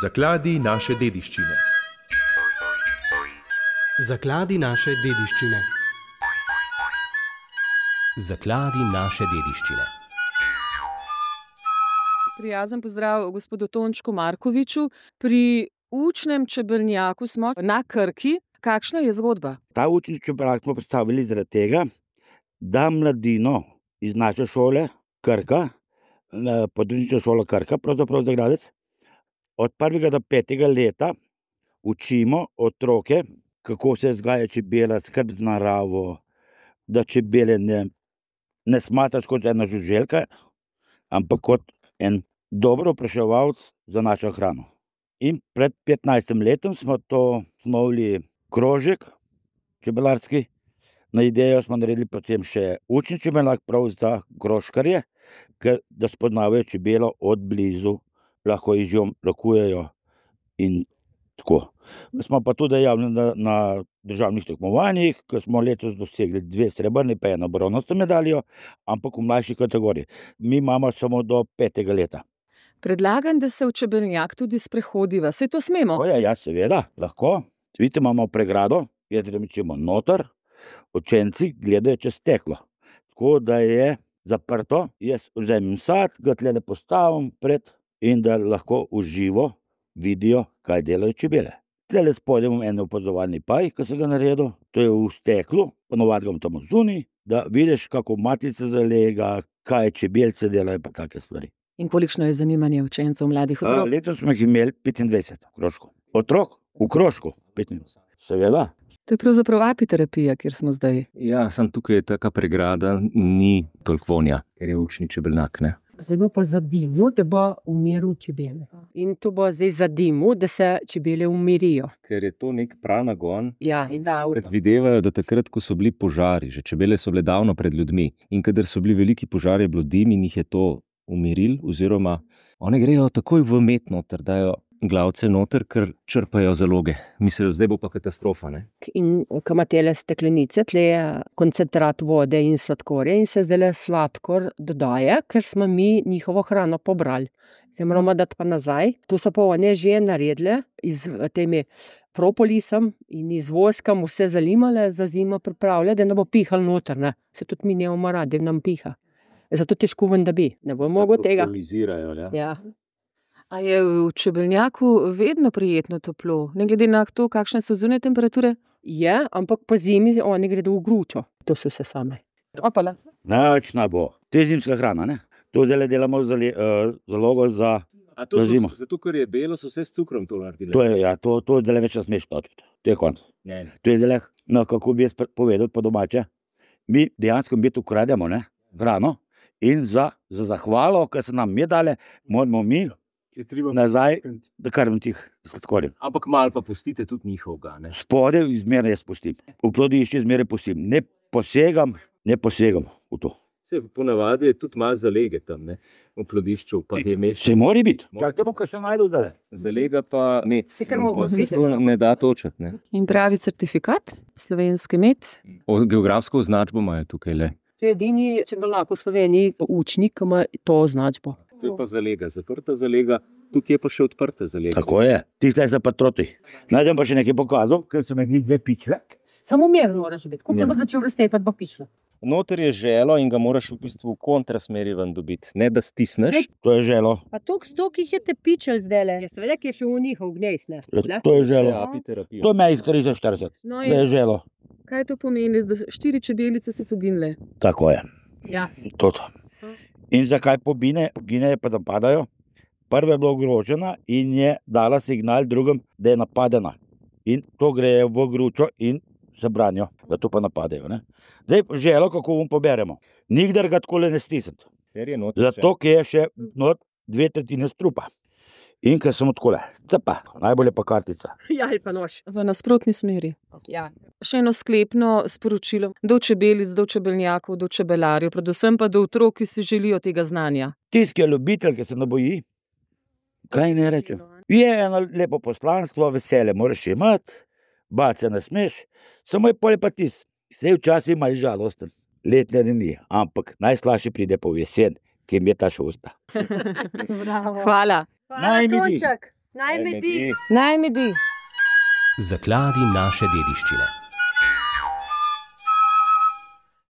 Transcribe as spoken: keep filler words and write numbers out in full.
Zakladi naše dediščine. Zakladi naše dediščine. Zakladi naše dediščine. Prijazen pozdrav gospodu Tončku Markoviču. Pri učnem čebelnjaku smo na Krki. Kakšna je zgodba? Ta učni čebelnjak smo postavili zaradi tega, da mladino iz naše šole Krka, podružnična šola Krka, pravzaprav za Gradec, od prvega do petega leta učimo otroke, kako se vzgaja čebela, skrb za naravo, da čebele ne, ne smatraš kot ena žuželka, ampak kot en dober opraševalec za našo hrano. In pred petnajstim letom smo to osnovali krožek čebelarski. Na idejo smo naredili potem še učni čebelnjak prav za krožkarje, da spoznavajo čebelo od blizu, lahko jih že lakujejo in tako. Smo pa tudi dejavni na, na državnih tekmovanjih, ko smo letos dosegli dve srebrni pa eno bronasto medaljo, ampak v mlajši kategoriji. Mi imamo samo do petega leta. Predlagam, da se v čebelnjak tudi sprehodiva. Se to smemo? O ja, ja, seveda, lahko. Vidite, imamo pregrado, kjer rečemo noter, učenci gledajo čez steklo. Tako da je zaprto, jaz vzamem sad, ga tlele postavim pred in da lahko v živo vidijo, kaj delajo čebele. Tlele spodaj imam en opazovalni paj, ki sem ga naredil, to je v steklu, ponovadi ga tam zunaj, da vidiš, kako matica zalega, kaj čebelce delajo pa take stvari. In kolikšno je zanimanje učencev, mladih otrok? A, letos smo jih imeli petindvajset v krožku. Otrok v krožku, petindvajset. Seveda. To je pravzaprav apiterapija, kjer smo zdaj. Ja, sem tukaj taka pregrada, ni toliko vonja, ker je učni čebelnjak, ne? Zdaj bo pa zadimil, da bo umiril čebele. In to bo zdaj zadimil, da se čebele umirijo. Ker je to nek pranagon. Ja, in da. Predvidevajo, da takrat, ko so bili požari, že čebele so bile davno pred ljudmi. In kadar so bili veliki požari, je bilo dim in jih je to umiril, oziroma one grejo takoj v met noter, dajo glavce noter, ker črpajo zaloge. Mislijo, zdaj bo pa katastrofa, ne? In ko ima tele steklenice, tle je koncentrat vode in sladkorja in se zdaj sladkor dodaje, ker smo mi njihovo hrano pobrali. Zdaj moramo dati pa nazaj. To so pa one že naredile iz temi propolisom in iz voskom vse zalimale, za zimo pripravljale, da ne bo pihal noter, ne? Se tudi mi nemamo radi, da nam piha. Zato težko ven, da bi. Ne bo mogel tega. Propolizirajo, ja. Ja. A je v čebelnjaku vedno prijetno toplo, ne glede na to, kakšne so zunanje temperature? Je, ampak po zimi oni gredo v gručo. To so vse same. Opala. Načna bo. To je zimska hrana, ne? To zdaj delamo zali, uh, zalogo za, A to za so, zimo. zato, ker je belo, so vse s cukrom to naredili. To je, ja, to, to zdaj več ne smeš točiti. To je konc. Ne, ne. To je zdaj, no, kako bi jaz povedal po domače. Mi dejansko mi to ukrademo, ne? Hrano. In za, za zahvalo, ki so nam je dale, moramo mi Je treba nazaj, da krmim tih sladkorjev. Ampak malo pa pustite tudi njihovega, ne? Spode izmerno jaz pustim. V plodišče izmerno pustim. Ne posegam, ne posegam v to. Se ponavadi je tudi malo zalege tam, ne? V plodišču pa je meš. Se mora biti. Čakajmo, kaj se najde zdaj. Zalega pa med. Si kar mogo Se videti. to ne da točati, ne? In pravi certifikat, slovenski med. O, geografsko označbo imajo tukaj le. To je edini čebelnjak v Sloveniji, učnik, ki ima to označbo. To je pa zalega, zaprta zalega, tukaj je pa še odprta zalega. Tako je. Ti zdaj se pa troti. Najdem pa še nekaj pokazal, ker so me dve pičle. Samo mirno moraš biti. Ko Ja. bo začel raztepati, bo pišla. Noter je želo in ga moraš v bistvu v kontrasmeri ven dobiti. Ne da stisneš. To je želo. Pa toliko stokih je te pičel zdajle. Ja, seveda, ki je še v njihov gnejs, ne? To je želo. apiterapija. To je meni trideset štirideset. No To je in želo. kaj to pomeni, da štiri čebelice so poginile? Tako je. Ja. Toto. In zakaj pobine? Pobine pa napadajo. Prva je bila ogrožena in je dala signal drugim, da je napadena. In to gre v gručo in se branijo, da to pa napadajo. Ne? Zdaj želo, kako bom poberemo. Nikdar ga takole ne stisniti. Ker je noter Zato, ker je še not dve tretjine strupa. In ker sem takole, cepa, najbolje pa kartica. Ja, ali pa nož. V nasprotni smeri. Ja. Še eno sklepno sporočilo do čebelic, do čebelnjakov, do čebelarjev, predvsem pa do otrok, ki si želijo tega znanja. Tisti, ki je ljubitelj, ki se ne boji, kaj ne rečem. Je eno lepo poslanstvo, veselje moraš imeti, bati se ne smeš, samo je pol pa tis. Vse včasih malo žalosten, letne ni, ampak najslajše pride pa v jesen, ki mi je ta šosta. Bravo. Hvala. Hvala, Naj mi bi. Tonček. Naj medi. Naj medi. Zakladi naše dediščine.